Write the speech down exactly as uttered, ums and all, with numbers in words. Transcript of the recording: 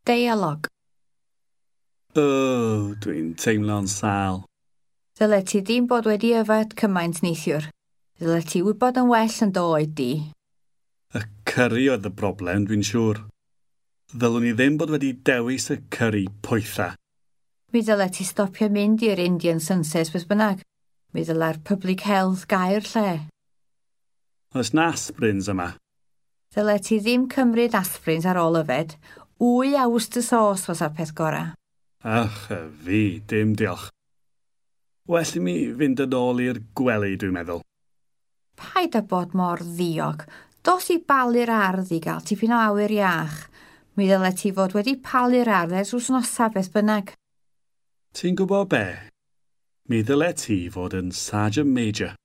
Deialog. O, dwi'n teimlo'n sâl. Ddylet ti ddim bod wedi yfed cymaint neithiwr. Ddylet ti wybod yn well yn dy oed di. Y cyri oedd y broblem, dwi'n siŵr. Ddylwn i ddim bod wedi dewis y cyri poetha. Mi ddylet ti stopio mynd i'r Indian Sunset beth bynnag. Mi ddyla'r public health gau'r lle. Oes 'na aspirins yma? Ddylet ti ddim cymryd aspirins ar ôl yfed. Wy a Worcester sauce fysa'r peth gorau. Ach, y fi, dim diolch. Well i mi fynd yn ôl i'r gwely, dwi'n meddwl. Paid â bod mor ddiog. Dos i balu'r ardd i gael tipyn o awyr iach. Mi ddylet ti fod wedi palu'r ardd ers wythnosau beth bynnag. Ti'n gwybod be? Mi ddylet ti fod yn Sergeant Major.